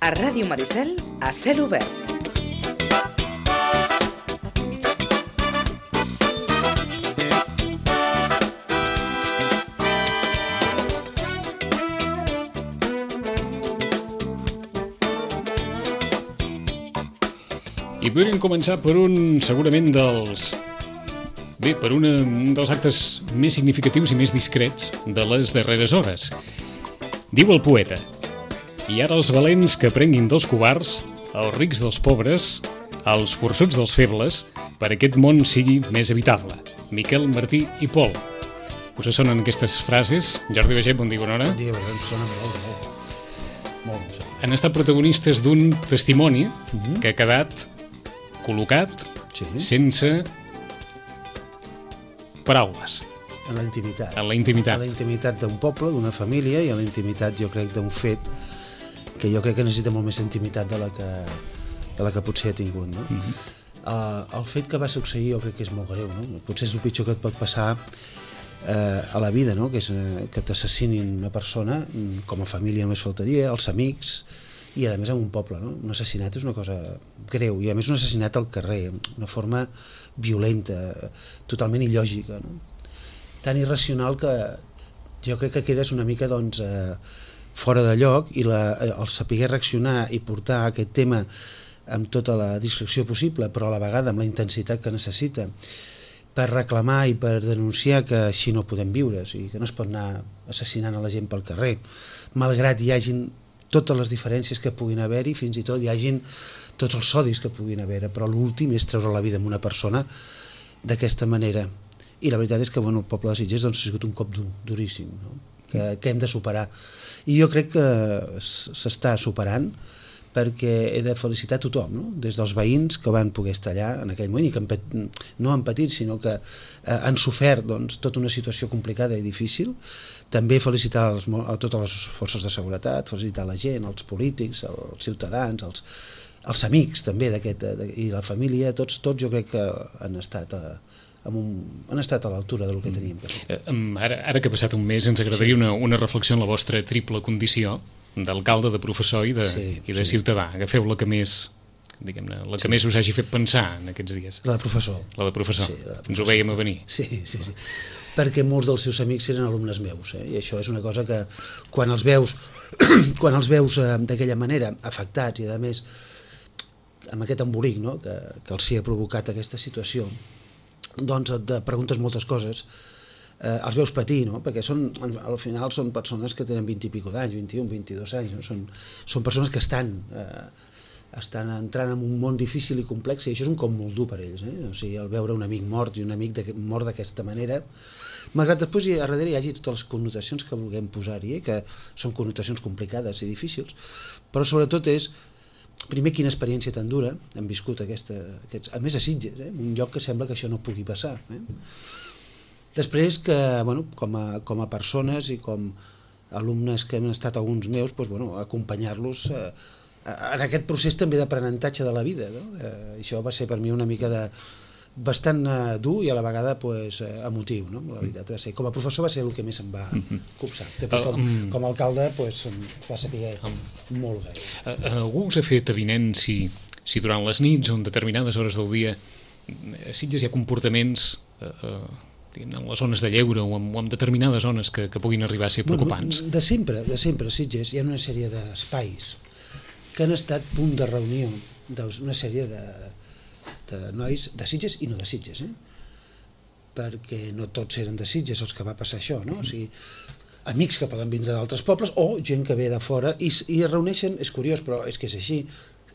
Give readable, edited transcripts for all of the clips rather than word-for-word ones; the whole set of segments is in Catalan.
A Ràdio Maricel, a cel obert. I podríem començar per un dels actes més significatius i més discrets de les darreres hores. Diu el poeta: i ara els valents que prenguin dels covards, els rics dels pobres, els forçuts dels febles, per aquest món sigui més habitable. Miquel, Martí i Pol. Us sonen aquestes frases? Jordi Bagé, bon dia, bona hora. Bon dia, em sona molt. Han estat protagonistes d'un testimoni que ha quedat col·locat sense paraules. En la intimitat. En la intimitat. En la intimitat d'un poble, d'una família, i en la intimitat, jo crec, d'un fet que jo crec que necessita molt més intimitat de la que potser ha tingut, no? El fet que va succeir jo crec que és molt greu, no? Potser és el pitjor que et pot passar a la vida, no? Que és que t'assassinin una persona, com a família només faltaria, els amics, i a més en un poble, no? Un assassinat és una cosa greu, i a més un assassinat al carrer, una forma violenta, totalment il·lògica, no? Tan irracional que jo crec que quedes una mica fora de lloc, i el saber reaccionar i portar aquest tema amb tota la discreció possible, però a la vegada amb la intensitat que necessita, per reclamar i per denunciar que així no podem viure, o sigui, que no es pot anar assassinant a la gent pel carrer, malgrat hi hagin totes les diferències que puguin haver-hi, fins i tot hi hagin tots els odis que puguin haver-hi, però l'últim és treure la vida a una persona d'aquesta manera. I la veritat és que el poble de Sitges ha sigut un cop duríssim, no? Que hem de superar. I jo crec que s'està superant, perquè he de felicitar a tothom, no? Des dels veïns que van poder estar allà en aquell moment i que no han patit, sinó que han sofert tota una situació complicada i difícil. També felicitar a totes les forces de seguretat, felicitar la gent, els polítics, els ciutadans, els amics també i la família, tots jo crec que han estat a l'altura del que teníem que fer. Ara que ha passat un mes, ens agradaria una reflexió en la vostra triple condició d'alcalde, de professor i de ciutadà. Agafeu la que més, diguem-ne, la que més us hagi fet pensar en aquests dies. La de professor. La de professor. Ens ho veiem a venir. Sí. Perquè molts dels seus amics eren alumnes meus, i això és una cosa que quan els veus d'aquella manera afectats, i a més amb aquest embolic, no? que els hi ha provocat aquesta situació, doncs et preguntes moltes coses, els veus patir, no? Perquè al final són persones que tenen 20 i pico d'anys, 21, 22 anys, no? Són persones que estan entrant en un món difícil i complex, i això és un cop molt dur per ells, O sigui, el veure un amic mort i un amic mort d'aquesta manera, malgrat després a darrere hi hagi totes les connotacions que vulguem posar-hi, que són connotacions complicades i difícils, però sobretot és, primer, quina experiència tan dura hem viscut a més a Sitges, un lloc que sembla que això no pugui passar. Després que, com a persones i com alumnes que han estat alguns meus, acompanyar-los en aquest procés també d'aprenentatge de la vida, no? Això va ser per mi una mica bastant dur i a la vegada emotiu, no? La veritat va ser, com a professor va ser el que més em va copsar. Com a alcalde va saber molt bé. Algú us ha fet avinent si durant les nits o en determinades hores del dia a Sitges hi ha comportaments en les zones de lleure o en determinades zones que puguin arribar a ser preocupants? De sempre a Sitges hi ha una sèrie d'espais que han estat punt de reunió d'una sèrie de nois de Sitges i no de Sitges, perquè no tots eren de Sitges els que va passar això, no? O sigui, amics que poden vindre d'altres pobles o gent que ve de fora i es reuneixen, és curiós però és que és així,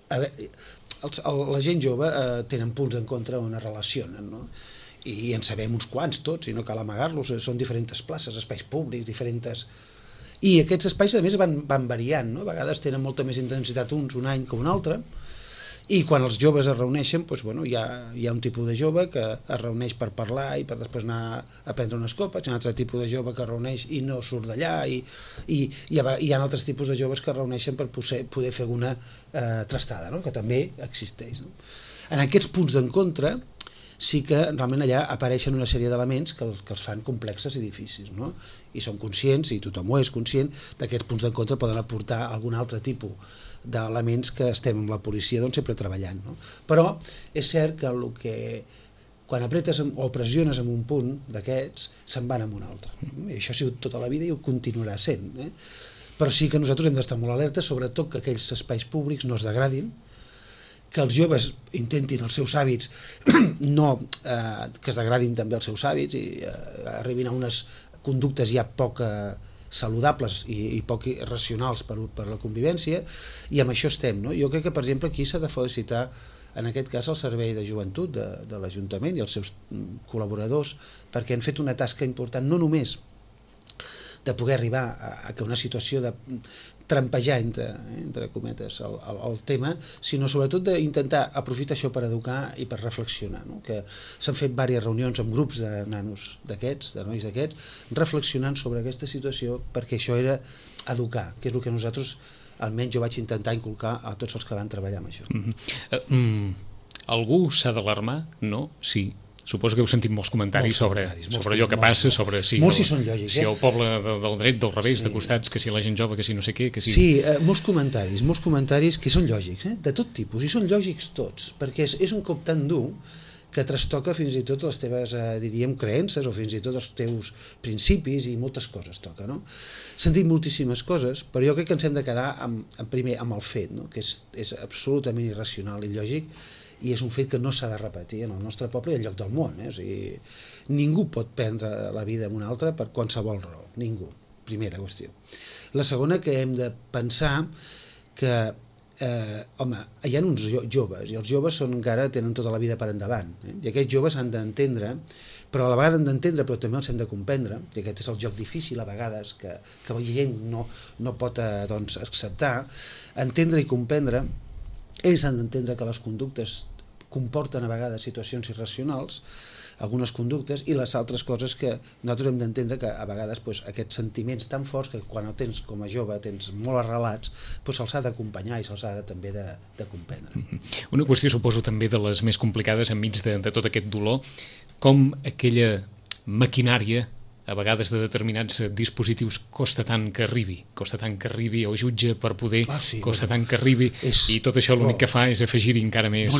la gent jove tenen punts en contra on es relacionen, no? I en sabem uns quants tots, i no cal amagar-los, són diferents places, espais públics, diferents... I aquests espais, a més, van variant, no? A vegades tenen molta més intensitat un any que un altre, i quan els joves es reuneixen, hi ha un tipus de jove que es reuneix per parlar i per després anar a prendre unes copes, hi ha un altre tipus de jove que es reuneix i no surt d'allà, i hi ha altres tipus de joves que es reuneixen per poder fer alguna trastada, no? Que també existeix, no? En aquests punts d'encontre sí que realment allà apareixen una sèrie d'elements que els fan complexes i difícils, no? I som conscients, i tothom ho és conscient, d'aquests punts d'encontre poden aportar algun altre tipus d'elements que estem amb la policia doncs, sempre treballant, no? Però és cert que el que quan apretes o pressiones en un punt d'aquests, se'n van en un altre. I això ha sigut tota la vida i ho continuarà sent. Però sí que nosaltres hem d'estar molt alertes, sobretot que aquells espais públics no es degradin, que els joves intentin els seus hàbits, no que es degradin també els seus hàbits i arribin a unes conductes ja poc saludables i poc racionals per la convivència, i amb això estem. No? Jo crec que, per exemple, aquí s'ha de felicitar en aquest cas el Servei de Joventut de l'Ajuntament i els seus col·laboradors, perquè han fet una tasca important, no només de poder arribar a que una situació de trampejar, entre cometes, el tema, sinó sobretot d'intentar aprofitar això per educar i per reflexionar, no? Que s'han fet diverses reunions amb grups de nanos d'aquests, de nois d'aquests, reflexionant sobre aquesta situació, perquè això era educar, que és el que nosaltres, almenys jo vaig intentar inculcar a tots els que van treballar amb això. Algú s'ha d'alarmar? No? Sí. Suposo que heu sentit molts comentaris sobre allò que passa, sobre si el poble del dret, del revés, de costats, que si la gent jove, que si no sé què... Sí, molts comentaris que són lògics, de tot tipus, i són lògics tots, perquè és un cop tan dur que trastoca fins i tot les teves, diríem, creences, o fins i tot els teus principis, i moltes coses toca, no? S'han dit moltíssimes coses, però jo crec que ens hem de quedar primer amb el fet, no? Que és absolutament irracional i lògic, i és un fet que no s'ha de repetir en el nostre poble i al lloc del món. O sigui, ningú pot prendre la vida amb un altre per qualsevol raó, ningú, primera qüestió. La segona, que hem de pensar que home, hi ha uns joves, i els joves encara tenen tota la vida per endavant, i aquests joves han d'entendre, però a la vegada han d'entendre, però també els hem de comprendre, i aquest és el joc difícil a vegades que la gent no pot acceptar, entendre i comprendre. Ells han d'entendre que les conductes comporten a vegades situacions irracionals, algunes conductes, i les altres coses que nosaltres hem d'entendre que a vegades aquests sentiments tan forts que quan el tens com a jove tens molt arrelats, se'ls ha d'acompanyar i se'ls ha també de comprendre. Una qüestió, suposo, també de les més complicades enmig de tot aquest dolor, com aquella maquinària a vegades de determinats dispositius costa tant que arribi o jutge per poder, costa tant que arribi, i tot això l'únic que fa és afegir-hi encara més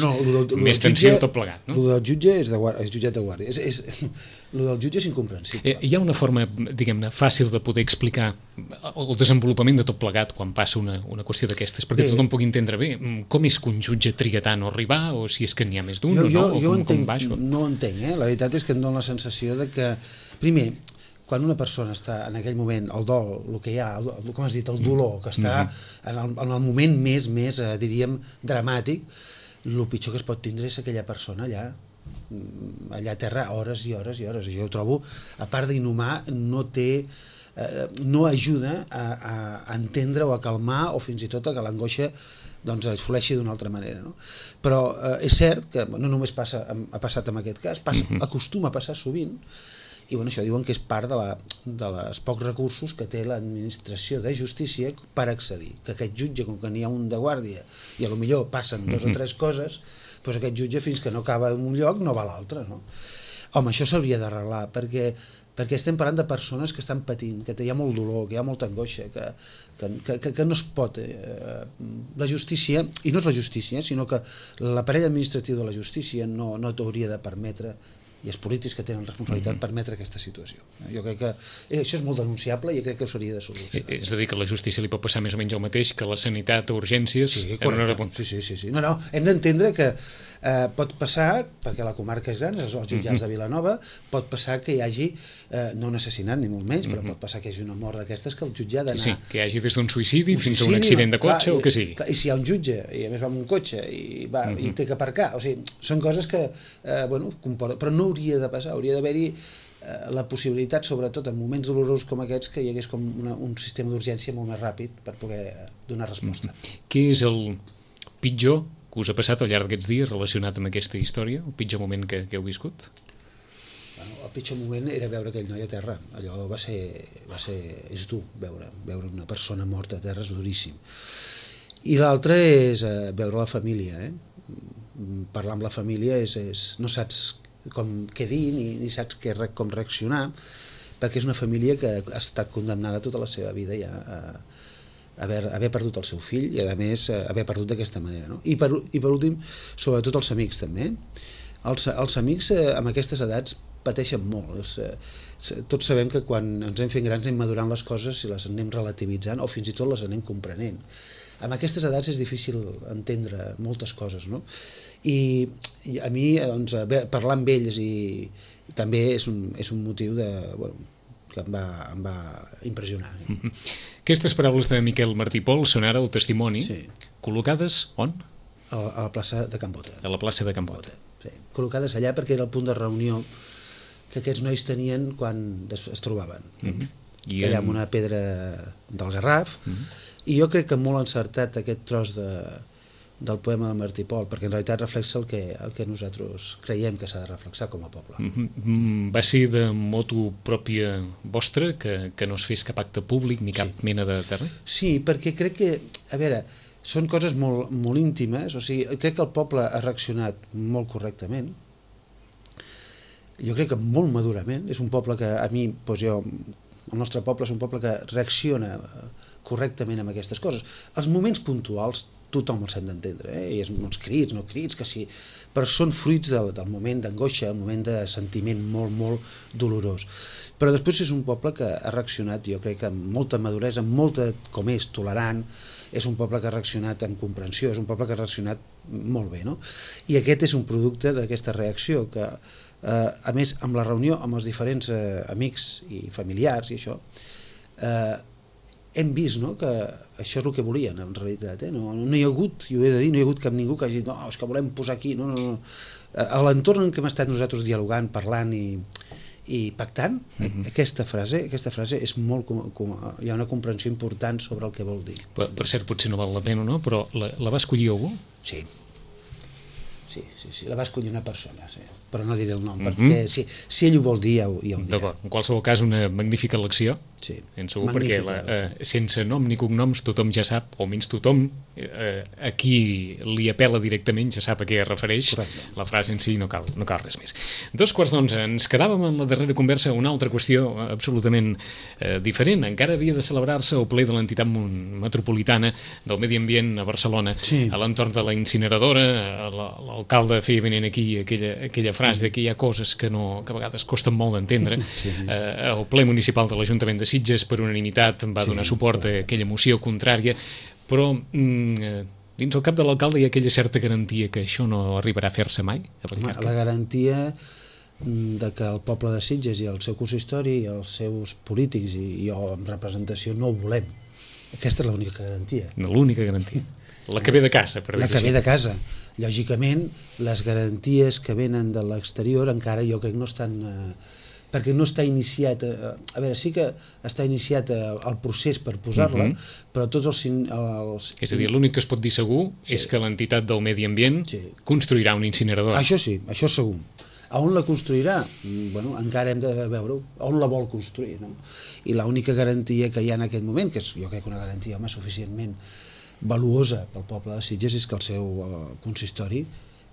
tensió tot plegat. El del jutge és jutjat de guàrdia. El del jutge és incomprensible. Hi ha una forma, diguem-ne, fàcil de poder explicar el desenvolupament de tot plegat quan passa una qüestió d'aquestes, perquè tothom pugui entendre bé com és que un jutge triga tant a arribar, o si és que n'hi ha més d'un, o no, o com va això. No ho entenc, la veritat és que em dóna la sensació de que, primer, quan una persona està en aquell moment, el dol, el que hi ha, com has dit, el dolor, que està en el moment més, diríem, dramàtic, el pitjor que es pot tindre és aquella persona allà a terra hores i hores i hores. Jo ho trobo, a part d'inhumà, no ajuda a entendre o a calmar, o fins i tot a que l'angoixa es flueixi d'una altra manera. No? Però és cert que no només ha passat en aquest cas, acostuma a passar sovint, i això diuen que és part dels pocs recursos que té l'administració de justícia per accedir, que aquest jutge, com que n'hi ha un de guàrdia i potser passen 2 o 3 coses, doncs aquest jutge fins que no acaba en un lloc no va a l'altre, no? Home, això s'hauria d'arreglar, perquè estem parlant de persones que estan patint, que hi ha molt dolor, que hi ha molta angoixa, que no es pot. La justícia, i no és la justícia, sinó que l'aparell administratiu de la justícia no t'hauria de permetre, i els polítics que tenen responsabilitat permetre aquesta situació. Jo crec que això és molt denunciable i crec que s'hauria de solucionar. És a dir, que a la justícia li pot passar més o menys el mateix que la sanitat o urgències. Sí, correcte. Sí. No, hem d'entendre que pot passar, perquè la comarca és gran, els jutjats de Vilanova, pot passar que hi hagi, no un assassinat ni molt menys, però pot passar que hi hagi una mort d'aquestes que el jutge ha d'anar... Sí, que hi hagi des d'un suïcidi fins a un accident de cotxe o que sigui. I si hi ha un jutge, i a més va amb un cotxe, i té que aparcar, o sigui, són coses que, comporten, però no hauria de passar, hauria d'haver-hi la possibilitat, sobretot en moments dolorosos com aquests, que hi hagués com un sistema d'urgència molt més ràpid per poder donar resposta. Què és el pitjor que us ha passat al llarg d'aquests dies relacionat amb aquesta història? El pitjor moment que heu viscut? El pitjor moment era veure aquell noi a terra. Allò és dur, veure una persona morta a terra és duríssim. I l'altre és veure la família. Parlar amb la família no saps què dir ni saps com reaccionar, perquè és una família que ha estat condemnada tota la seva vida ja haver perdut el seu fill i, a més, haver perdut d'aquesta manera, no? I per últim, sobretot els amics, també. Els amics amb aquestes edats pateixen molt. Tots sabem que quan ens anem fent grans anem madurant les coses i les anem relativitzant o fins i tot les anem comprenent. Amb aquestes edats és difícil entendre moltes coses, no? I a mi, doncs, parlar amb ells i també és un motiu que em va impressionar. Aquestes paraules de Miquel Martí Pol són ara el testimoni, col·locades on? A la plaça de Can Bota. A la plaça de Can Bota. Sí, col·locades allà perquè era el punt de reunió que aquests nois tenien quan es trobaven. Allà amb una pedra del Garraf, i jo crec que molt encertat aquest tros del poema de Martí Pol, perquè en realitat reflexa el que nosaltres creiem que s'ha de reflexar com a poble. Va ser de motu pròpia vostra que no es fes cap acte públic ni cap mena de terra? Sí, perquè crec que, a veure, són coses molt, molt íntimes, o sigui, crec que el poble ha reaccionat molt correctament, jo crec que molt madurament, és un poble que a mi, el nostre poble és un poble que reacciona correctament amb aquestes coses. Els moments puntuals tothom els hem d'entendre, i és molts crits, no crits, que sí, però són fruits del moment d'angoixa, el moment de sentiment molt, molt dolorós. Però després és un poble que ha reaccionat, jo crec que amb molta maduresa, amb molta, com és, tolerant, és un poble que ha reaccionat amb comprensió, és un poble que ha reaccionat molt bé, no? I aquest és un producte d'aquesta reacció que, a més, amb la reunió amb els diferents amics i familiars i això, hem vist, no?, que això és el que volien en realitat, no hi ha hagut, i ho he de dir, no hi ha hagut cap ningú que hagi dit, no, és que volem posar aquí, no. A l'entorn en què hem estat nosaltres dialogant, parlant i pactant, aquesta frase és molt, hi ha una comprensió important sobre el que vol dir. Per cert, potser no val la pena, no?, però la va escollir algú? Sí, la va escollir una persona, però no diré el nom, perquè si ell ho vol dir, ja ho dirà. D'acord, en qualsevol cas, una magnífica elecció, ben segur, perquè sense nom ni cognoms tothom ja sap, o menys tothom, a qui li apela directament ja sap a què es refereix. La frase en si no cal res més. 11:15, ens quedàvem en la darrera conversa una altra qüestió absolutament diferent. Encara havia de celebrar-se el ple de l'entitat metropolitana del Medi Ambient a Barcelona, a l'entorn de la incineradora. L'alcalde feia venint aquí aquella frase que hi ha coses que a vegades costen molt d'entendre. El ple municipal de l'Ajuntament de Sitges per unanimitat va donar suport a aquella moció contrària, però dins el cap de l'alcalde hi ha aquella certa garantia que això no arribarà a fer-se mai? La garantia de que el poble de Sitges i el seu consistori i els seus polítics i jo en representació no ho volem. Aquesta és l'única garantia. L'única garantia. La que ve de casa, per dir-ho així. La que ve de casa. Lògicament, les garanties que venen de l'exterior encara jo crec no estan... perquè no està iniciat... A veure, sí que està iniciat el procés per posar-la, però tots els... És a dir, l'únic que es pot dir segur és que l'entitat del Medi Ambient construirà un incinerador. Això sí, això segur. A on la construirà? Bueno, encara hem de veure on la vol construir, no? I l'única garantia que hi ha en aquest moment, que és jo crec una garantia suficientment valuosa pel poble de Sitges, és que el seu consistori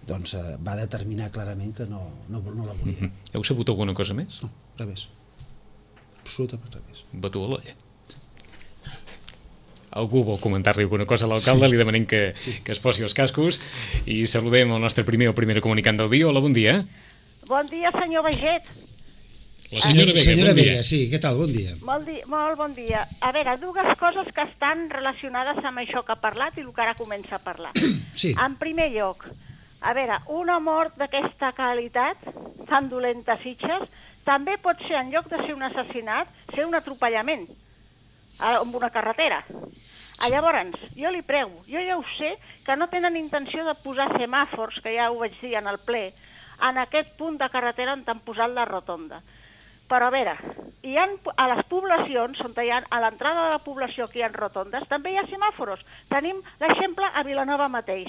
va determinar clarament que no la volia. Heu sabut alguna cosa més? No, res més. Absolutament res més. Batu a l'olla. Algú vol comentar-li alguna cosa a l'alcalde? Li demanem que es posi els cascos i saludem el nostre primer o primera comunicant del dia. Hola, bon dia. Bon dia, senyor Baiget. La senyora Vega, bon dia. Sí, què tal? Bon dia. Molt bon dia. A veure, dues coses que estan relacionades amb això que ha parlat i el que ara comença a parlar. Sí. En primer lloc, a veure, una mort d'aquesta qualitat, tan dolenta a Sitges, també pot ser, en lloc de ser un assassinat, ser un atropellament amb una carretera. Llavors, jo li prego, jo ja ho sé, que no tenen intenció de posar semàfors, que ja ho vaig dir en el ple, en aquest punt de carretera on han posat la rotonda. Però a veure, a les poblacions, a l'entrada de la població que hi ha rotondes, també hi ha semàforos. Tenim l'exemple a Vilanova mateix.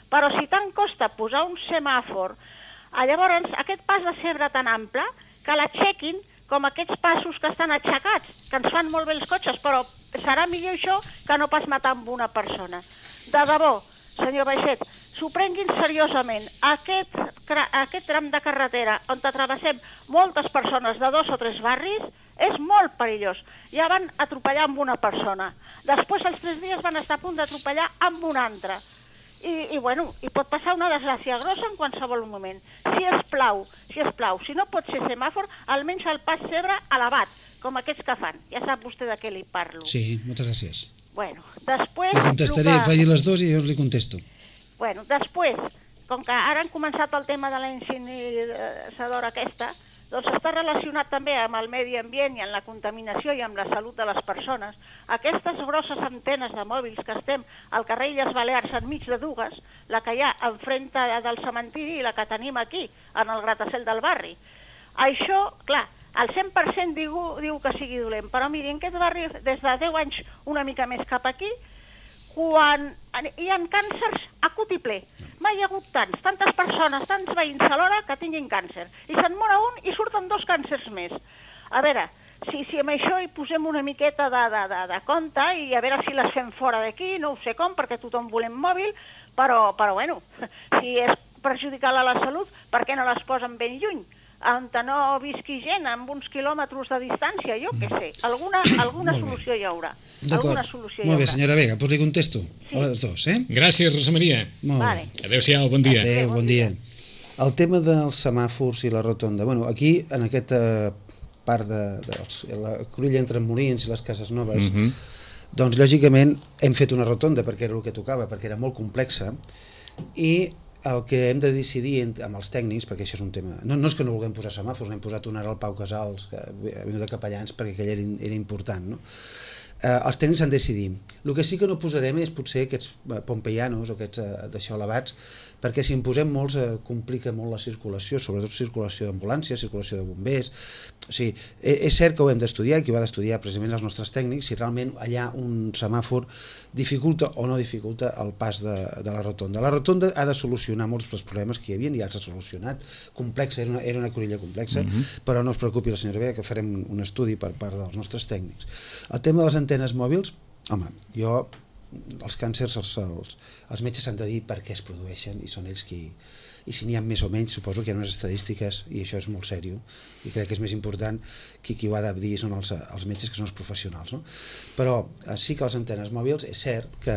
Però si tant costa posar un semàfor, llavors aquest pas ha de ser tan ample que l'aixequin com aquests passos que estan aixecats, que ens fan molt bé els cotxes, però serà millor això que no pas matar amb una persona. De debò, senyor Baixet, s'ho prenguin seriosament. Aquest tram de carretera on travessem moltes persones de 2 o 3 barris És molt perillós. Ja van atropellar amb una persona. Després, els 3 dies, van estar a punt d'atropellar amb una altra. I pot passar una desgràcia grossa en qualsevol moment. Si es plau, si no pot ser semàfor, almenys el pas cebre elevat, com aquests que fan. Ja sap vostè de què li parlo. Sí, moltes gràcies. Bueno, després... Li contestaré, faci les dues i jo li contesto. Bueno, després, com que ara han començat el tema de la incineradora aquesta, doncs està relacionat també amb el medi ambient i amb la contaminació i amb la salut de les persones. Aquestes grosses antenes de mòbils que estem al carrer Illes Balears enmig de dues, la que hi ha enfront del cementiri i la que tenim aquí, en el gratacel del barri. Això, clar, el 100% diu que sigui dolent, però miri, en aquest barri, des de 10 anys una mica més cap aquí, quan hi ha càncers acut i ple. Mai hi ha hagut tantes persones, tants veïns alhora que tinguin càncer. I se'n mor un i surten 2 càncers més. A veure, si amb això hi posem una miqueta de compte i a veure si les fem fora d'aquí, no ho sé com, perquè tothom volem mòbil, però bueno, si és perjudicial a la salut, per què no les posen ben lluny? On no visqui gent amb uns quilòmetres de distància, jo què sé, alguna solució hi haurà. D'acord, molt bé, senyora Vega, doncs li contesto a les dues, eh? Gràcies, Rosa Maria. Molt bé. Adéu-siau, bon dia. Adéu, bon dia. El tema dels semàfors i la rotonda, bueno, aquí, en aquesta part de la cruïlla entre Molins i les Cases Noves, doncs, lògicament, hem fet una rotonda perquè era el que tocava, perquè era molt complexa, i el que hem de decidir amb els tècnics, perquè això és un tema... No és que no vulguem posar semàfors, n'hem posat un ara al Pau Casals, que ha vingut de Capellans, perquè aquell era important, no? Els tècnics han de decidir. El que sí que no posarem és potser aquests pompeianos o aquests d'això elevats, perquè si en posem molts complica molt la circulació, sobretot circulació d'ambulàncies, circulació de bombers. O sigui, és cert que ho hem d'estudiar, que ho ha d'estudiar precisament els nostres tècnics, si realment allà un semàfor dificulta o no dificulta el pas de la rotonda. La rotonda ha de solucionar molts dels problemes que hi havia, ja s'ha solucionat, complexa, era una cruïlla complexa, però no es preocupi la senyora Vega, que farem un estudi per part dels nostres tècnics. El tema de les antenes mòbils, home, els càncers els metges han de dir per què es produeixen i són ells qui... I si n'hi ha més o menys, suposo que hi ha unes estadístiques i això és molt seriós i crec que és més important que qui ho ha de dir són els metges, que són els professionals, no? Però sí que les antenes mòbils és cert que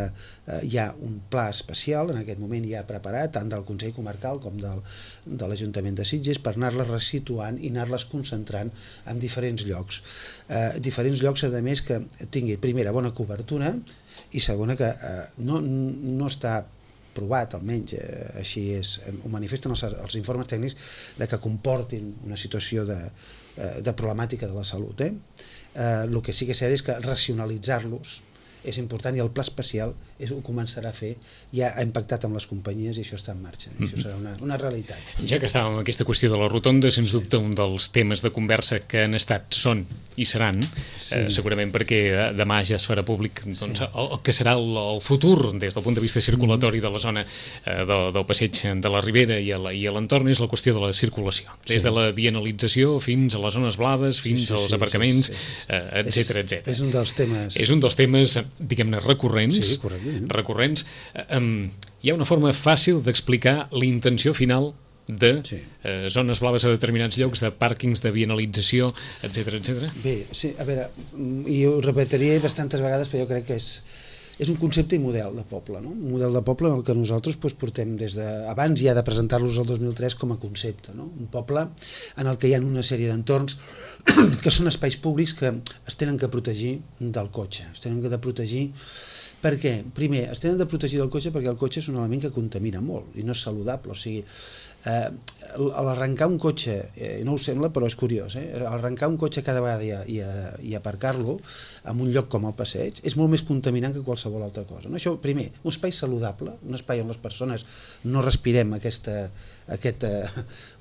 hi ha un pla especial en aquest moment ja preparat tant del Consell Comarcal com de l'Ajuntament de Sitges per anar-les resituant i anar-les concentrant en diferents llocs. Diferents llocs, a més, que tingui primera bona cobertura i segona que no està provat, almenys així ho manifesten els informes tècnics, que comportin una situació de problemàtica de la salut. El que sí que és cert és que racionalitzar-los és important i el pla especial ho començarà a fer, ja ha impactat amb les companyies i això està en marxa, això serà una realitat. Ja que estàvem en aquesta qüestió de la rotonda, sens dubte un dels temes de conversa que han estat, són i seran, segurament perquè demà ja es farà públic el que serà el futur des del punt de vista circulatori de la zona del passeig de la Ribera i a l'entorn, és la qüestió de la circulació, des de la vianalització fins a les zones blaves, fins als aparcaments, etcètera. És un dels temes... És un dels temes, diguem-ne, recurrents. Hi ha una forma fàcil d'explicar la intenció final de zones blaves a determinats llocs, de pàrquings, de vianalització, etcètera. Bé, sí, a veure, i ho repetiria bastantes vegades, però jo crec que és un concepte i model de poble, no? Un model de poble en el que nosaltres portem des d'abans ja de presentar-los el 2003 com a concepte, no? Un poble en el que hi ha una sèrie d'entorns que són espais públics que es tenen que protegir del cotxe, es tenen de protegir. Per què? Primer, es tenen de protegir del cotxe perquè el cotxe és un element que contamina molt i no és saludable, o sigui, l'arrencar un cotxe, no us sembla però és curiós, arrencar un cotxe cada vegada i aparcar-lo en un lloc com el passeig és molt més contaminant que qualsevol altra cosa, no? Això, primer, un espai saludable, un espai on les persones no respirem aquest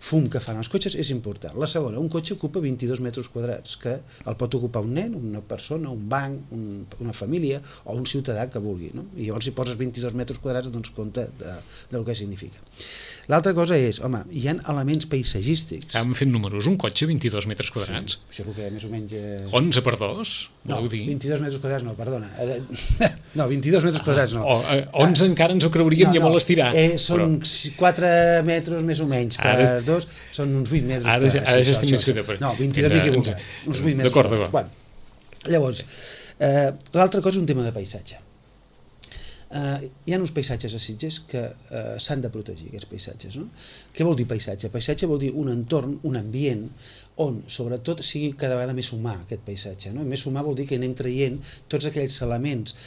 fum que fan els cotxes és important. La segona, un cotxe ocupa 22 metres quadrats, que el pot ocupar un nen, una persona, un banc, una família o un ciutadà que vulgui, no? I llavors si poses 22 metres quadrats doncs compte del que significa. L'altra cosa és, home, hi ha elements paisatgístics. Estàvem fent números, un cotxe 22 metres quadrats? Sí, això és el que més o menys... 11 per 2? No, 22 metres quadrats no, perdona. No, 22 metres quadrats no. 11 encara ens ho creuríem i a molt estirar. Són 4 metres més o menys per 2, són uns 8 metres. Ara ja estic més que... No, 22 m'he equivocat, uns 8 metres. D'acord. Bueno, llavors, l'altra cosa és un tema de paisatge. Hi ha uns paisatges a Sitges que s'han de protegir, aquests paisatges, no? Què vol dir paisatge? Paisatge vol dir un entorn, un ambient on sobretot sigui cada vegada més humà aquest paisatge, no? Més humà vol dir que anem traient tots aquells elements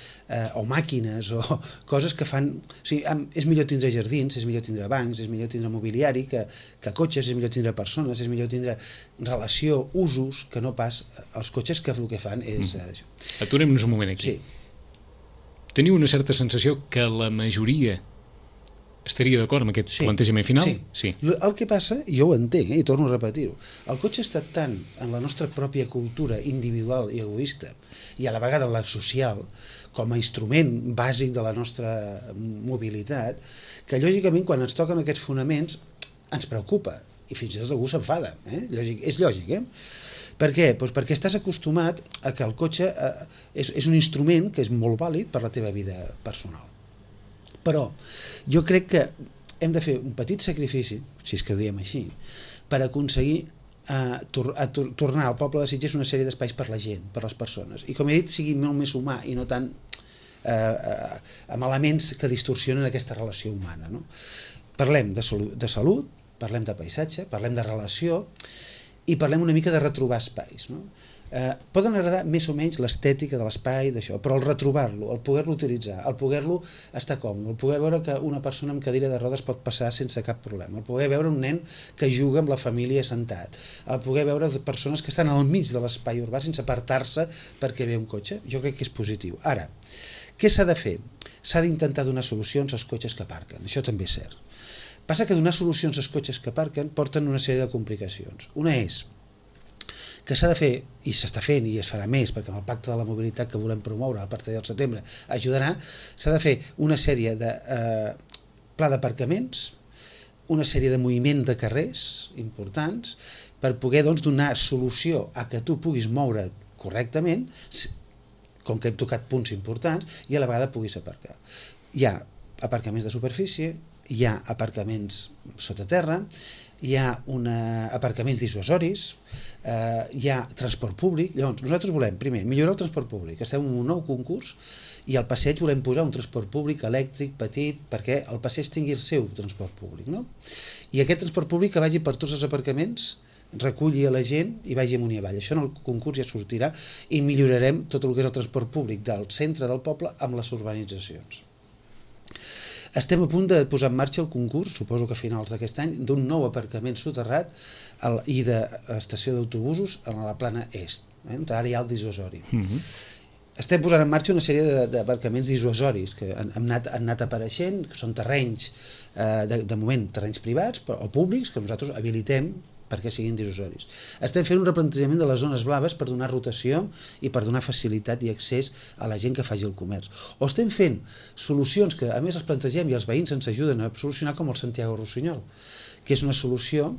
o màquines o coses que fan... O sigui, és millor tindre jardins, és millor tindre bancs, és millor tindre mobiliari que cotxes, és millor tindre persones, és millor tindre relació, usos, que no pas els cotxes que el que fan és... Aturem-nos un moment aquí. Sí. Teniu una certa sensació que la majoria estaria d'acord amb aquest plantejament final? Sí. El que passa, jo ho entenc, i torno a repetir-ho, el cotxe està tant en la nostra pròpia cultura individual i egoista, i a la vegada en la social, com a instrument bàsic de la nostra mobilitat, que lògicament quan ens toquen aquests fonaments ens preocupa, i fins i tot algú s'enfada, és lògic, Per què? Doncs perquè estàs acostumat a que el cotxe és un instrument que és molt vàlid per la teva vida personal. Però jo crec que hem de fer un petit sacrifici, si és que ho diem així, per aconseguir tornar al poble de Sitges una sèrie d'espais per la gent, per les persones. I com he dit, sigui molt més humà i no tant amb elements que distorsionen aquesta relació humana. No? Parlem de salut, parlem de paisatge, parlem de relació, i parlem una mica de retrobar espais. No? Poden agradar més o menys l'estètica de l'espai, d'això, però el retrobar-lo, el poder-lo utilitzar, el poder-lo estar còmode, el poder veure que una persona amb cadira de rodes pot passar sense cap problema, el poder veure un nen que juga amb la família sentat, el poder veure persones que estan al mig de l'espai urbà sense apartar-se perquè ve un cotxe, jo crec que és positiu. Ara, què s'ha de fer? S'ha d'intentar donar solucions als cotxes que aparquen, això també és cert. Passa que donar solucions als cotxes que aparquen porten una sèrie de complicacions. Una és que s'ha de fer, i s'està fent i es farà més, perquè amb el pacte de la mobilitat que volem promoure a partir del setembre ajudarà, s'ha de fer una sèrie de pla d'aparcaments, una sèrie de moviment de carrers importants per poder donar solució a que tu puguis moure't correctament, com que hem tocat punts importants, i a la vegada puguis aparcar. Hi ha aparcaments de superfície, hi ha aparcaments sota terra, hi ha aparcaments dissuasoris, hi ha transport públic. Llavors, nosaltres volem, primer, millorar el transport públic. Estem en un nou concurs i al passeig volem posar un transport públic elèctric, petit, perquè el passeig tingui el seu transport públic. No? I aquest transport públic que vagi per tots els aparcaments, reculli a la gent i vagi amunt i avall. Això en el concurs ja sortirà i millorarem tot el que és el transport públic del centre del poble amb les urbanitzacions. Estem a punt de posar en marxa el concurs, suposo que a finals d'aquest any, d'un nou aparcament soterrat i d'estació d'autobusos a la plana est, on ara hi ha el dissuasori. Estem posant en marxa una sèrie d'aparcaments dissuasoris que han anat apareixent, que són terrenys, de moment terrenys privats o públics, que nosaltres habilitem perquè siguin dissuasoris. Estem fent un replantejament de les zones blaves per donar rotació i per donar facilitat i accés a la gent que faci el comerç. O estem fent solucions que a més els plantegem i els veïns ens ajuden a solucionar, com el Santiago Rossinyol, que és una solució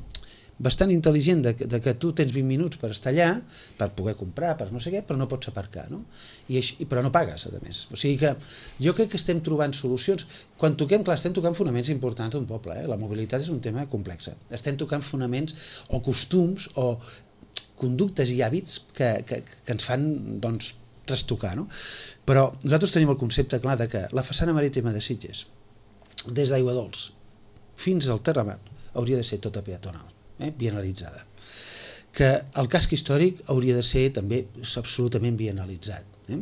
bastant intel·ligent de que tu tens 20 minuts per estar allà, per poder comprar, per no sé què, però no pots aparcar, no? Però no pagues, a més. O sigui que jo crec que estem trobant solucions. Quan toquem, clar, estem tocant fonaments importants d'un poble, la mobilitat és un tema complex. Estem tocant fonaments o costums o conductes i hàbits que ens fan, doncs, trastocar, no? Però nosaltres tenim el concepte clar de que la façana marítima de Sitges, des d'Aigua Dols fins al Terramar, hauria de ser tota peatonal, bienalitzada. Que el casc històric hauria de ser també absolutament bienalitzat. O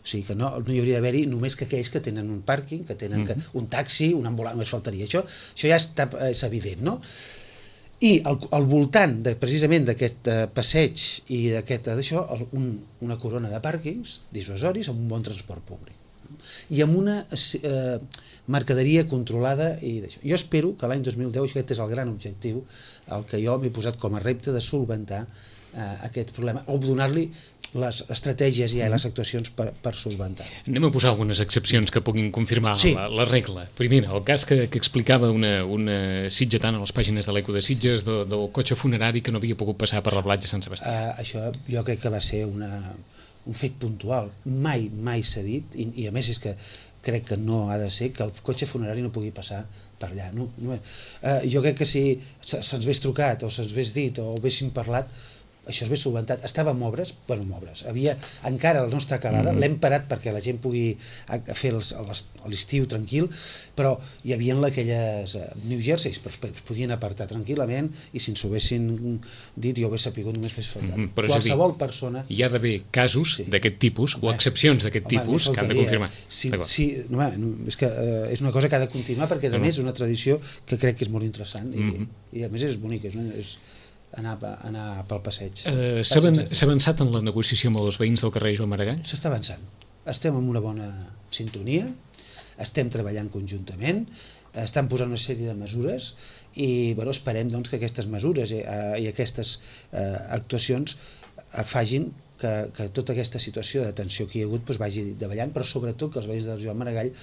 sigui que no hi hauria d'haver-hi només que aquells que tenen un pàrquing, que tenen un taxi, un ambulant, només faltaria. Això ja és evident, no? I al voltant precisament d'aquest passeig i d'això, una corona de pàrquings dissuasoris amb un bon transport públic. I amb una mercaderia controlada i d'això. Jo espero que l'any 2010, aquest és el gran objectiu, el que jo m'he posat com a repte de solventar aquest problema, o donar-li les estratègies i les actuacions per solventar. Anem a posar algunes excepcions que puguin confirmar la regla. Primera, el cas que explicava una sitgetana a les pàgines de l'Eco de Sitges del cotxe funerari que no havia pogut passar per la platja de Sant Sebastià. Això jo crec que va ser un fet puntual, mai s'ha dit, i a més és que crec que no ha de ser que el cotxe funerari no pugui passar per allà. Jo crec que si se'ns hagués trucat o se'ns hagués dit o haguéssim parlat, això es ve solventat. Estava en obres, encara no està acabada, l'hem parat perquè la gent pugui fer l'estiu tranquil, però hi havia aquelles New Jerseys, però es podien apartar tranquil·lament i si ens ho haguessin dit jo ho hagués sapigut només fes faltat. Qualsevol persona... Hi ha d'haver casos d'aquest tipus o excepcions d'aquest tipus que han de confirmar. És que és una cosa que ha de continuar perquè a més és una tradició que crec que és molt interessant i a més és bonica, és anar pel passeig. S'ha avançat en la negociació amb els veïns del carrer Joan Maragall? S'està avançant. Estem en una bona sintonia, estem treballant conjuntament, estan posant una sèrie de mesures i esperem que aquestes mesures i aquestes actuacions facin que tota aquesta situació de tensió que hi ha hagut vagi davallant, però sobretot que els veïns del Joan Maragall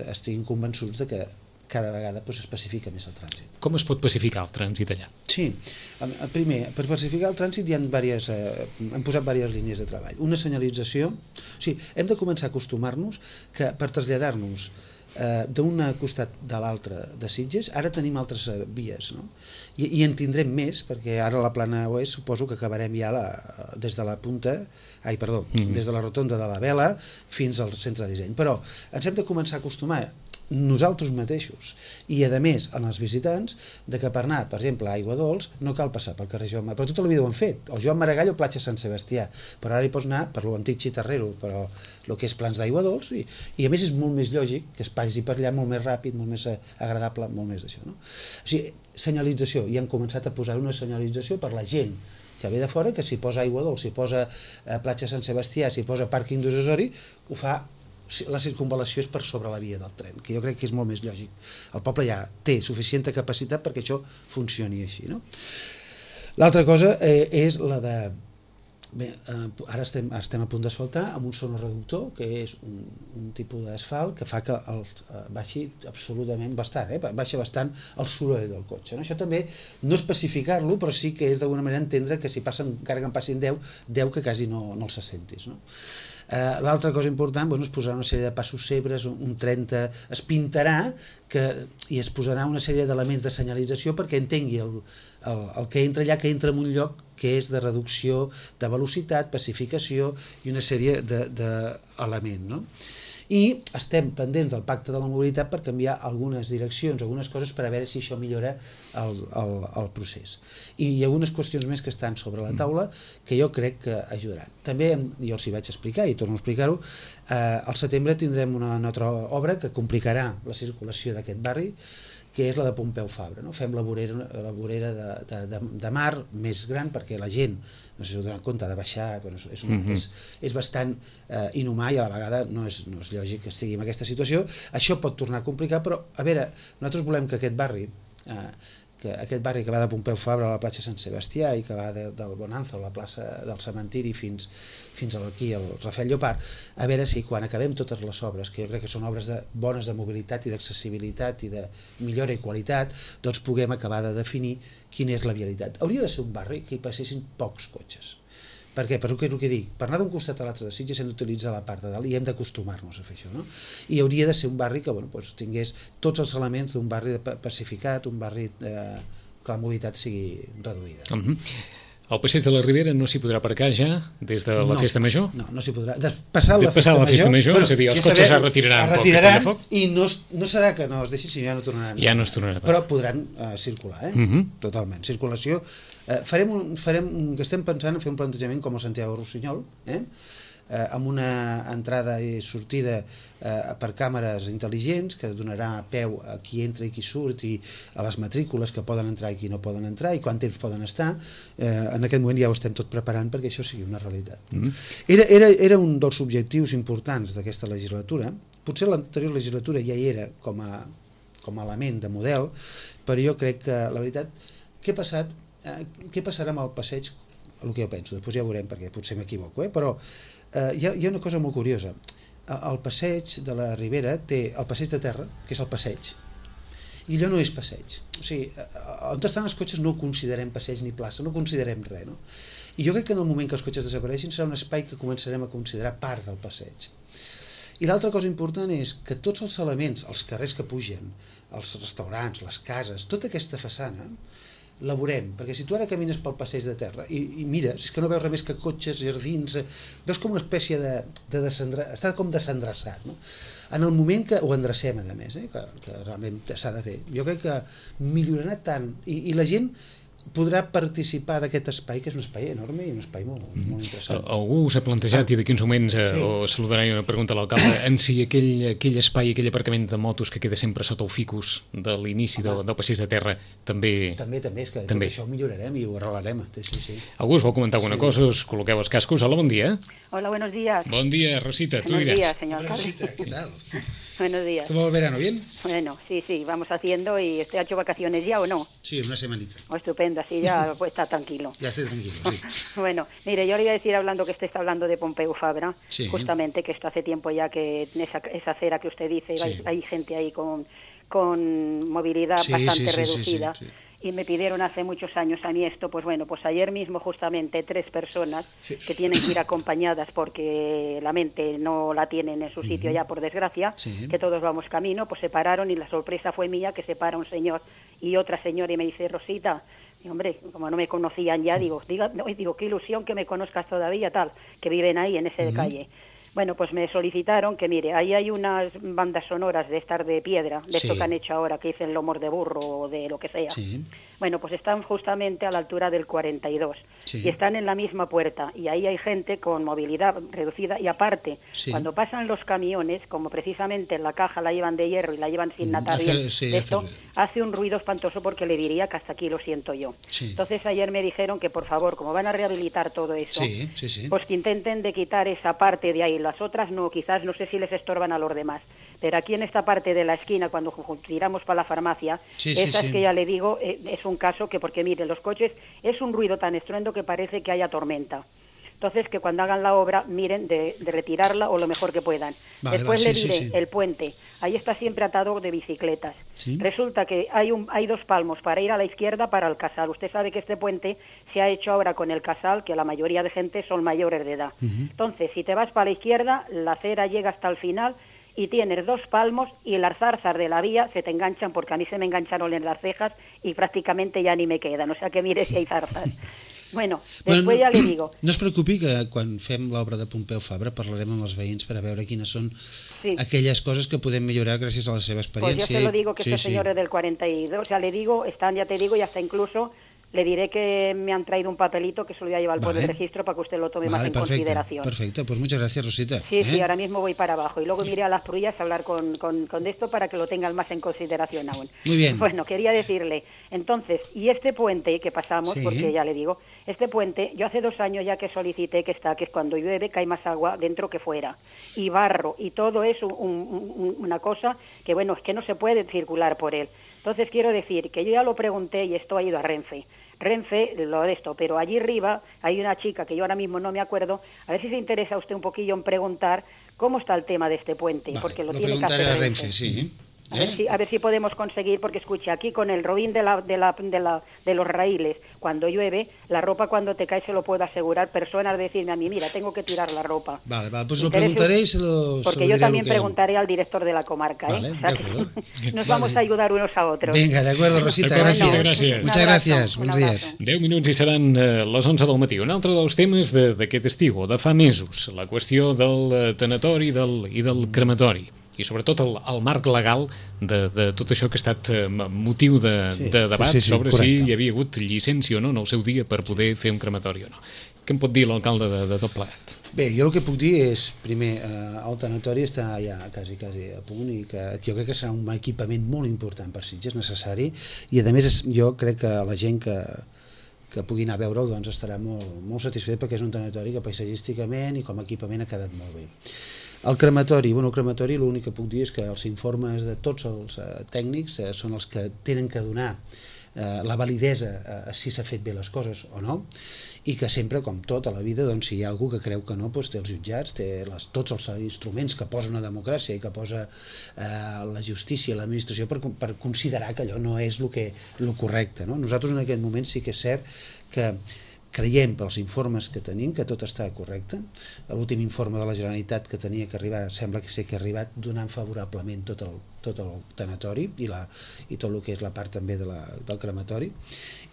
estiguin convençuts de que cada vegada es pacifica més el trànsit. Com es pot pacificar el trànsit allà? Sí, primer, per pacificar el trànsit hem posat diverses línies de treball. Una senyalització, hem de començar a acostumar-nos que per traslladar-nos d'un costat de l'altre de Sitges, ara tenim altres vies, no? I en tindrem més, perquè ara la plana oest suposo que acabarem ja des de la des de la rotonda de la Vela fins al centre de disseny, però ens hem de començar a acostumar nosaltres mateixos i a més en els visitants de que per anar, per exemple, a Aigua Dols no cal passar pel carrer Joan Maragall, però tota la vida ho han fet, o Joan Maragall o Platja Sant Sebastià, però ara hi pots anar per l'antic Xitarrero, però el que és plans d'Aigua Dols i a més és molt més lògic que es passi per allà molt més ràpid, molt més agradable, molt més d'això, no? O sigui, senyalització, i han començat a posar una senyalització per la gent que ve de fora, que si posa Aigua Dols, si posa Platja Sant Sebastià, si posa pàrquing d'Usosori, ho fa. La circunvalació és per sobre la via del tren, que jo crec que és molt més lògic. El poble ja té suficient capacitat perquè això funcioni així, no? L'altra cosa és la de... Bé, ara estem a punt d'asfaltar amb un sonoreductor, que és un tipus d'asfalt que fa que baixi absolutament bastant, baixa bastant el soroll del cotxe, no? Això també no especificar-lo, però sí que és d'alguna manera entendre que si passen, encara que en passin 10 que quasi no els sentis, no? L'altra cosa important és posar una sèrie de passos cebres, un 30, es pintarà i es posarà una sèrie d'elements de senyalització perquè entengui el que entra allà, que entra en un lloc que és de reducció de velocitat, pacificació i una sèrie d'elements, no? I estem pendents del pacte de la mobilitat per canviar algunes direccions, algunes coses per a veure si això millora el procés. I hi ha algunes qüestions més que estan sobre la taula que jo crec que ajudaran. També, jo els hi vaig explicar i torno a explicar-ho, al setembre tindrem una altra obra que complicarà la circulació d'aquest barri, que és la de Pompeu Fabra, no? Fem la vorera de mar més gran perquè la gent, no sé si us doneu compte, de baixar, és bastant inhumà i a la vegada no és lògic que estigui en aquesta situació. Això pot tornar a complicar, però a veure, nosaltres volem que aquest barri que va de Pompeu Fabra a la platja Sant Sebastià i que va del Bonanza a la plaça del cementiri fins aquí al Rafael Llopart, a veure si quan acabem totes les obres, que jo crec que són obres bones de mobilitat i d'accessibilitat i de millora i qualitat, doncs puguem acabar de definir quina és la vialitat. Hauria de ser un barri que hi passessin pocs cotxes. Per què? Per el que dic, per anar d'un costat a l'altre de Sitges hem d'utilitzar la part de dalt i hem d'acostumar-nos a fer això, no? I hauria de ser un barri que tingués tots els elements d'un barri pacificat, un barri que la mobilitat sigui reduïda. Al passeig de la Ribera no s'hi podrà aparcar ja des de la Festa Major? No s'hi podrà. Passar la Festa Major, és a dir, els cotxes es retiraran un poc de foc? I no serà que no es deixi, sinó ja no tornaran. Ja no es tornaran. Però podran circular, totalment. Circulació. Que estem pensant en fer un plantejament com el Santiago Rossinyol, amb una entrada i sortida per càmeres intel·ligents que donarà peu a qui entra i qui surt i a les matrícules que poden entrar i qui no poden entrar i quant temps poden estar. En aquest moment ja ho estem tot preparant perquè això sigui una realitat. Era un dels objectius importants d'aquesta legislatura. Potser l'anterior legislatura ja hi era com a element de model, però jo crec que la veritat, què passarà amb el passeig? El que jo penso, després ja veurem perquè potser m'equivoco, però hi ha una cosa molt curiosa. El passeig de la Ribera té el passeig de terra, que és el passeig, i allò no és passeig. O sigui, on estan els cotxes no ho considerem passeig ni plaça, no considerem res, no? I jo crec que en el moment que els cotxes desapareixin serà un espai que començarem a considerar part del passeig. I l'altra cosa important és que tots els elements, els carrers que pugen, els restaurants, les cases, tota aquesta façana, la veurem, perquè si tu ara camines pel passeig de terra i mires, és que no veus res més que cotxes, jardins, veus com una espècie de està com desendreçat, no? En el moment que ho endrecem, a més, que realment s'ha de fer, jo crec que millorarà tant i la gent podrà participar d'aquest espai, que és un espai enorme i un espai molt interessant. Algú s'ha plantejat, i d'aquí uns moments o saludarà una pregunta a l'alcalde, en si aquell espai, aquell aparcament de motos que queda sempre sota el ficus de l'inici del passeig de terra, també... També, és que tot això ho millorarem i ho arreglarem. Sí. Algú us vol comentar alguna cosa? Us col·loqueu els cascos? Hola, bon dia. Hola, buenos días. Bon dia, Rosita, tu diràs. Buenos días, señor alcalde. Rosita, ¿qué tal? Buenos días. ¿Cómo va el verano? ¿Bien? Bueno, sí, vamos haciendo. ¿Y usted ha hecho vacaciones ya o no? Sí, una semanita. Oh, estupendo, así ya pues, está tranquilo. Ya estoy tranquilo, sí. Bueno, mire, yo le iba a decir, hablando que usted está hablando de Pompeu Fabra, sí, justamente, que esto hace tiempo ya que esa acera que usted dice, sí, hay gente ahí con movilidad bastante reducida. Sí. Y me pidieron hace muchos años a mí esto, pues bueno, pues ayer mismo justamente 3 personas que tienen que ir acompañadas porque la mente no la tienen en su sitio ya, por desgracia, que todos vamos camino, pues se pararon y la sorpresa fue mía que se para un señor y otra señora y me dice, Rosita, y hombre, como no me conocían ya, digo, qué ilusión que me conozcas todavía, tal, que viven ahí en ese calle. Bueno, pues me solicitaron que, mire, ahí hay unas bandas sonoras de estar de piedra, de esto que han hecho ahora, que dicen lomos de burro o de lo que sea. Sí. Bueno, pues están justamente a la altura del 42 y están en la misma puerta y ahí hay gente con movilidad reducida y aparte, cuando pasan los camiones, como precisamente en la caja la llevan de hierro y la llevan sin natar bien, hace un ruido espantoso porque le diría que hasta aquí lo siento yo. Sí. Entonces ayer me dijeron que por favor, como van a rehabilitar todo eso, pues que intenten de quitar esa parte de ahí, las otras no, quizás no sé si les estorban a los demás. Pero aquí en esta parte de la esquina, cuando tiramos para la farmacia, es que ya le digo, es un caso que, porque mire, los coches es un ruido tan estruendo que parece que haya tormenta. Entonces, que cuando hagan la obra, miren de retirarla o lo mejor que puedan. Después le diré, el puente, ahí está siempre atado de bicicletas. Resulta que hay 2 palmos para ir a la izquierda para el Casal. Usted sabe que este puente se ha hecho ahora con el Casal, que la mayoría de gente son mayores de edad. Entonces, si te vas para la izquierda, la acera llega hasta el final y tienes 2 palmos y las zarzas de la vía se te enganchan, porque a mí se me engancharon en las cejas y prácticamente ya ni me quedan, o sea que mire si hay zarzas. Bueno, després ja li digo... No es preocupi que quan fem l'obra de Pompeu Fabra parlarem amb els veïns per a veure quines són aquelles coses que podem millorar gràcies a la seva experiència. Pues yo se lo digo que este señor es del 42, o sea, le digo, están, ya te digo, y hasta incluso... Le diré que me han traído un papelito que se lo voy a llevar por el registro para que usted lo tome más en consideración. Perfecto, pues muchas gracias, Rosita. Sí, ahora mismo voy para abajo y luego iré a las Prullas a hablar con esto para que lo tengan más en consideración aún. Muy bien. Bueno, quería decirle, entonces, y este puente que pasamos, porque ya le digo, este puente, yo hace 2 años ya que solicité que es cuando llueve cae más agua dentro que fuera, y barro, y todo es una cosa que, bueno, es que no se puede circular por él. Entonces quiero decir que yo ya lo pregunté y esto ha ido a Renfe, lo de esto, pero allí arriba hay una chica que yo ahora mismo no me acuerdo, a ver si se interesa usted un poquillo en preguntar cómo está el tema de este puente, porque lo tiene que hacer a Renfe, sí. A ver si podemos conseguir, porque escuche, aquí con el robín de los raíles, cuando llueve, la ropa cuando te cae se lo puedo asegurar, personas decirme a mí, mira, tengo que tirar la ropa. Vale, pues lo preguntaré y se lo porque yo también preguntaré al director de la comarca, vale, o sea, de acuerdo. Nos vamos a ayudar unos a otros. Venga, de acuerdo, Rosita, gràcies. Muchas gracias, buenos días. 10 minuts i seran les 11 del matí. Un altre dels temes d'aquest estiu, o de fa mesos, la qüestió del tanatori i del crematori. I sobretot el marc legal de tot això que ha estat motiu de debat sobre si hi havia hagut llicència o no en el seu dia per poder fer un crematori o no. Què em pot dir l'alcalde de tot plegat? Bé, jo el que puc dir és, primer, el tanatori està ja quasi a punt i que jo crec que serà un equipament molt important per Sitges, necessari, i a més jo crec que la gent que pugui anar a veure'l doncs estarà molt satisfet perquè és un tanatori que paisatgísticament i com a equipament ha quedat molt bé. El crematori, l'únic que puc dir és que els informes de tots els tècnics són els que tenen que donar la validesa si s'ha fet bé les coses o no, i que sempre, com tot a la vida, doncs, si hi ha algú que creu que no, doncs, té els jutjats, té tots els instruments que posa una democràcia i que posa la justícia i l'administració per considerar que allò no és el correcte. No? Nosaltres en aquest moment sí que és cert que creiem pels informes que tenim que tot està correcte. L'últim informe de la Generalitat que tenia que arribar sembla que sí que ha arribat donant favorablement tot el tanatori i tot el que és la part també del crematori,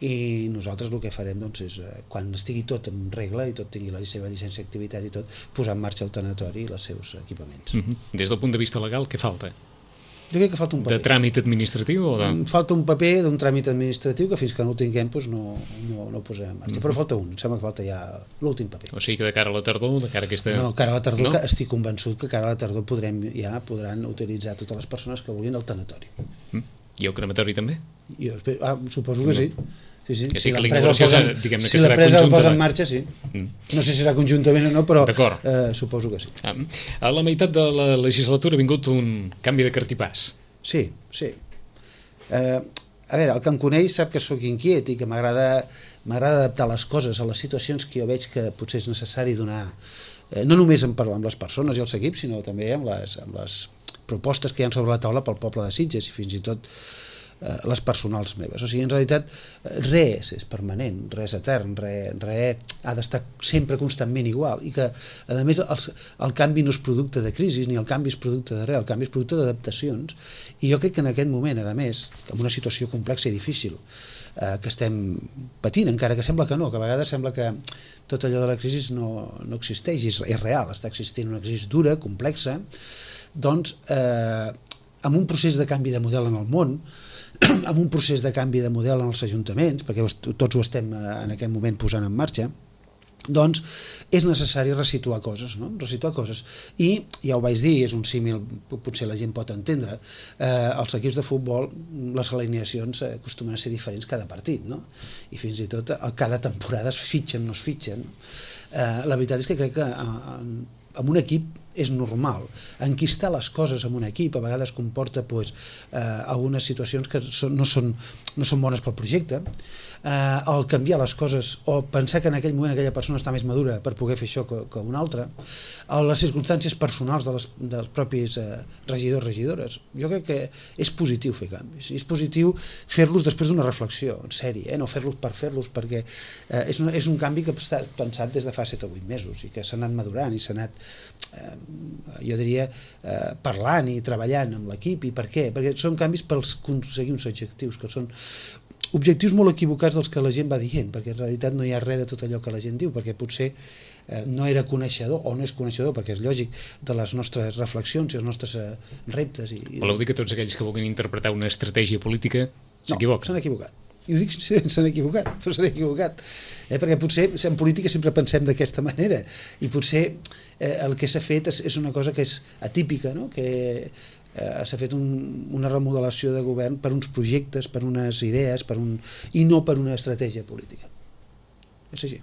i nosaltres el que farem doncs, és quan estigui tot en regla i tot tingui la seva llicència d'activitat i tot, posar en marxa el tanatori i els seus equipaments. Des del punt de vista legal, què falta? Jo crec que falta un paper. De tràmit administratiu? Falta un paper d'un tràmit administratiu que fins que no el tinguem doncs no posarem en marxa. Però falta un, em sembla que falta ja l'últim paper. O sigui que de cara a la tardor, de cara a aquesta... No, cara a la tardor, no? Estic convençut que cara a la tardor podran utilitzar totes les persones que vulguin el tanatori. I el crematori també? Suposo que sí. Sí, si que l'empresa el posa en marxa, sí. No sé si serà conjuntament o no, però suposo que sí. A la meitat de la legislatura ha vingut un canvi de cartipàs. Sí. A veure, el que em coneix sap que sóc inquiet i que m'agrada adaptar les coses a les situacions que jo veig que potser és necessari donar, no només en parlar amb les persones i els equips, sinó també amb les propostes que hi ha sobre la taula pel poble de Sitges i fins i tot les personals meves. O sigui, en realitat res és permanent, res etern, res ha d'estar sempre constantment igual, i que a més el canvi no és producte de crisi ni el canvi és producte de res, el canvi és producte d'adaptacions, i jo crec que en aquest moment, a més, en una situació complexa i difícil que estem patint, encara que sembla que no, que a vegades sembla que tot allò de la crisi no existeix, és real, està existint una crisi dura, complexa, doncs amb un procés de canvi de model en el món, amb un procés de canvi de model en els ajuntaments, perquè tots ho estem en aquest moment posant en marxa, doncs és necessari resituar coses, no? Resituar coses. I ja ho vaig dir, és un símil, potser la gent pot entendre, els equips de futbol, les alineacions acostumen a ser diferents cada partit, no? I fins i tot cada temporada es fitxen, no es fitxen. La veritat és que crec que en un equip és normal. Enquistar les coses en un equip a vegades comporta algunes situacions que no són bones pel projecte. El canviar les coses o pensar que en aquell moment aquella persona està més madura per poder fer això que una altra, les circumstàncies personals dels propis regidors, regidores. Jo crec que és positiu fer canvis, és positiu fer-los després d'una reflexió en sèrie, no fer-los per fer-los, perquè és un canvi que està pensat des de fa 7 o 8 mesos i que s'ha anat madurant i s'ha anat jo diria parlant i treballant amb l'equip. I per què? Perquè són canvis per aconseguir uns objectius que són objectius molt equivocats dels que la gent va dient, perquè en realitat no hi ha res de tot allò que la gent diu, perquè potser no era coneixedor o no és coneixedor, perquè és lògic, de les nostres reflexions i els nostres reptes. Voleu dir que tots aquells que vulguin interpretar una estratègia política s'equivoquen? No, s'han equivocat. I ho dic, s'han equivocat, però s'han equivocat. Perquè potser en política sempre pensem d'aquesta manera i potser el que s'ha fet és una cosa que és atípica, no? Que s'ha fet una remodelació de govern per uns projectes, per unes idees, i no per una estratègia política. És així.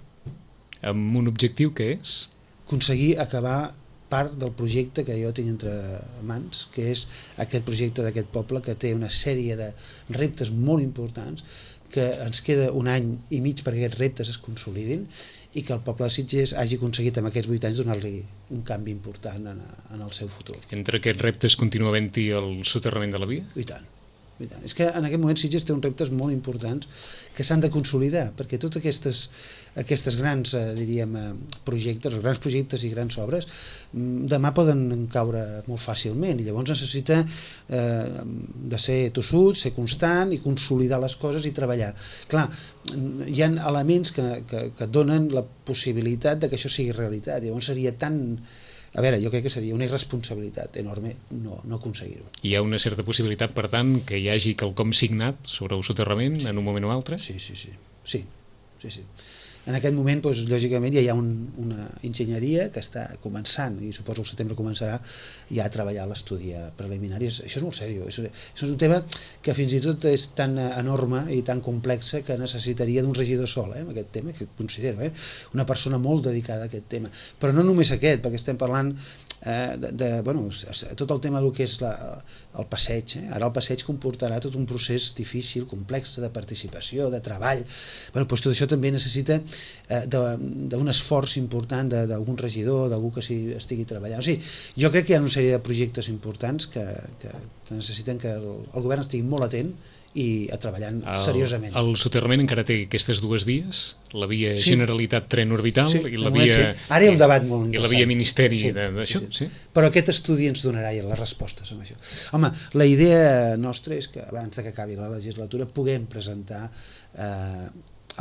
Amb un objectiu que és? Aconseguir acabar part del projecte que jo tinc entre mans, que és aquest projecte d'aquest poble que té una sèrie de reptes molt importants, que ens queda un any i mig perquè aquests reptes es consolidin i que el poble de Sitges hagi aconseguit en aquests 8 anys donar-li un canvi important en el seu futur. Entre aquests reptes continua havent-hi el soterrament de la via? I tant. És que en aquest moment Sitges té uns reptes molt importants que s'han de consolidar, perquè totes aquestes grans projectes, grans projectes i grans obres demà poden caure molt fàcilment i llavors necessita de ser tossut, ser constant i consolidar les coses i treballar. Clar, hi ha elements que donen la possibilitat de que això sigui realitat, llavors seria tan... A veure, jo crec que seria una irresponsabilitat enorme no aconseguir-ho. Hi ha una certa possibilitat, per tant, que hi hagi quelcom signat sobre el soterrament en un moment o altre? Sí. En aquest moment, lògicament, ja hi ha una enginyeria que està començant, i suposo que al setembre començarà ja a treballar l'estudi preliminari. Això és molt seriós. Això és un tema que fins i tot és tan enorme i tan complex que necessitaria d'un regidor sol, en aquest tema, que considero, una persona molt dedicada a aquest tema. Però no només aquest, perquè estem parlant tot el tema del que és el passeig. Ara el passeig comportarà tot un procés difícil, complex, de participació, de treball. Tot això també necessita d'un esforç important d'algun regidor, d'algú que estigui treballant. O sigui, jo crec que hi ha una sèrie de projectes importants que necessiten que el govern estigui molt atent i treballant seriosament. El soterrament encara té aquestes dues vies, la via Generalitat Tren Orbital i la via... Ara hi ha un debat molt interessant. I la via Ministeri d'això. Però aquest estudi ens donarà les respostes amb això. Home, la idea nostra és que abans que acabi la legislatura puguem presentar a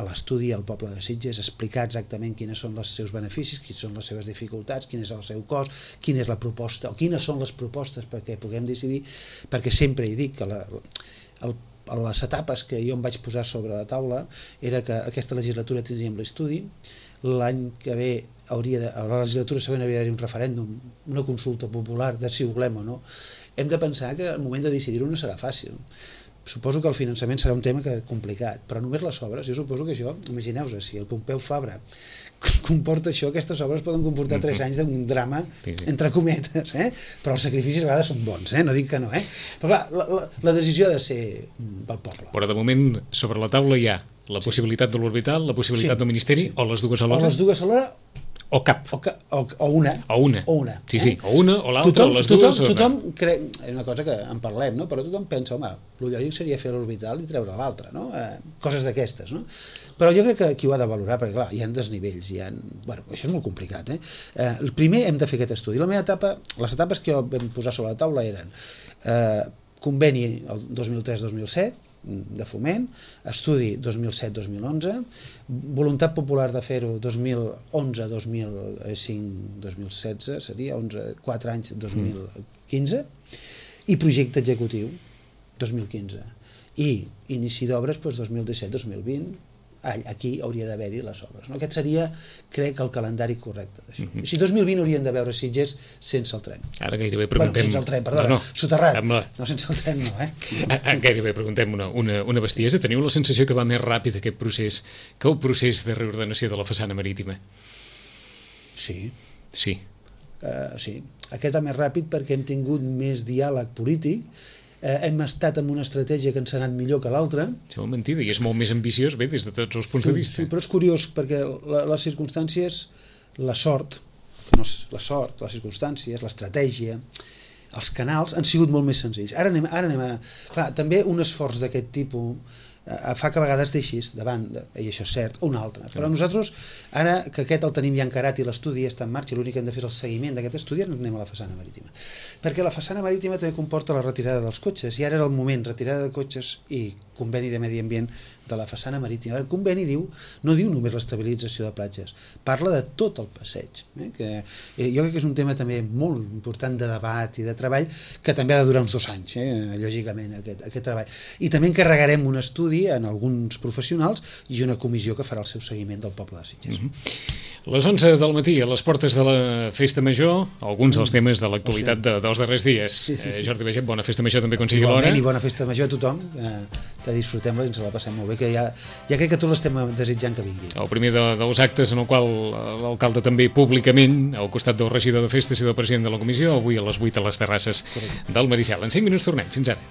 l'estudi al poble de Sitges, explicar exactament quins són els seus beneficis, quines són les seves dificultats, quin és el seu cost, quina és la proposta o quines són les propostes perquè puguem decidir, perquè sempre he dit que les etapes que jo em vaig posar sobre la taula era que aquesta legislatura tindríem l'estudi, l'any que ve a la legislatura següent hauria d'haver un referèndum, una consulta popular de si ho volem o no. Hem de pensar que el moment de decidir-ho no serà fàcil. Suposo que el finançament serà un tema complicat, però només les obres, jo suposo que això, imagineu-vos, si el Pompeu Fabra comporta això, aquestes obres poden comportar 3 anys d'un drama, entre cometes, però els sacrificis a vegades són bons, no dic que no, però clar, la decisió ha de ser pel poble. Però de moment sobre la taula hi ha la possibilitat de l'orbital, la possibilitat del Ministeri, o les dues alhora? O les dues alhora, o cap. O una. O una. Sí, o una, o l'altra, o les dues. Tothom creu, és una cosa que en parlem, no? Però tothom pensa, home, el lògic seria fer l'orbital i treure l'altra, no? Coses d'aquestes, no? Però jo crec que qui ho ha de valorar, perquè clar, hi ha desnivells, bueno, això és molt complicat, El primer hem de fer aquest estudi. Les etapes que jo vam posar sobre la taula eren conveni el 2003-2007, de foment, estudi 2007-2011, voluntat popular de fer-ho 2011-2016, seria 4 anys 2015, i projecte executiu 2015. I inici d'obres 2017-2020, aquí hauria d'haver-hi les obres. Aquest seria, crec, el calendari correcte d'això. O sigui, 2020 haurien de veure Sitges sense el tren. Ara gairebé preguntem... Sense el tren, perdona, soterrat. No, sense el tren no, Gairebé preguntem una bestiesa. Teniu la sensació que va més ràpid aquest procés que el procés de reordenació de la façana marítima? Sí. Sí. Sí. Aquest va més ràpid perquè hem tingut més diàleg polític, hem estat amb una estratègia que ens ha anat millor que l'altra. Sembla mentida, i és molt més ambiciós, bé, des de tots els punts de vista. Sí, però és curiós, perquè les circumstàncies, la sort, les circumstàncies, l'estratègia, els canals han sigut molt més senzills. Ara anem a... Clar, també un esforç d'aquest tipus fa que a vegades deixis davant, i això és cert, un altre. Però nosaltres, ara que aquest el tenim ja encarat i l'estudi està en marxa, l'únic que hem de fer és el seguiment d'aquest estudi, ara anem a la façana marítima. Perquè la façana marítima també comporta la retirada dels cotxes, i ara era el moment, retirada de cotxes i conveni de medi ambient de la façana marítima. El conveni no diu només l'estabilització de platges, parla de tot el passeig, que jo crec que és un tema també molt important de debat i de treball, que també ha de durar uns 2 anys, lògicament, aquest treball. I també encarregarem un estudi en alguns professionals i una comissió que farà el seu seguiment del poble de Sitges. Les 11 del matí, a les portes de la Festa Major, alguns dels temes de l'actualitat dels darrers dies. Jordi Baiget, bona Festa Major també quan sigui l'hora. I bona Festa Major a tothom, que disfrutem-la i ens la passem molt bé, que ja crec que tots l'estem desitjant que vingui. El primer dels actes en el qual l'alcalde també públicament, al costat del regidor de festes i del president de la comissió, avui a les 8 a les terrasses del Maricel. En 5 minuts tornem. Fins ara.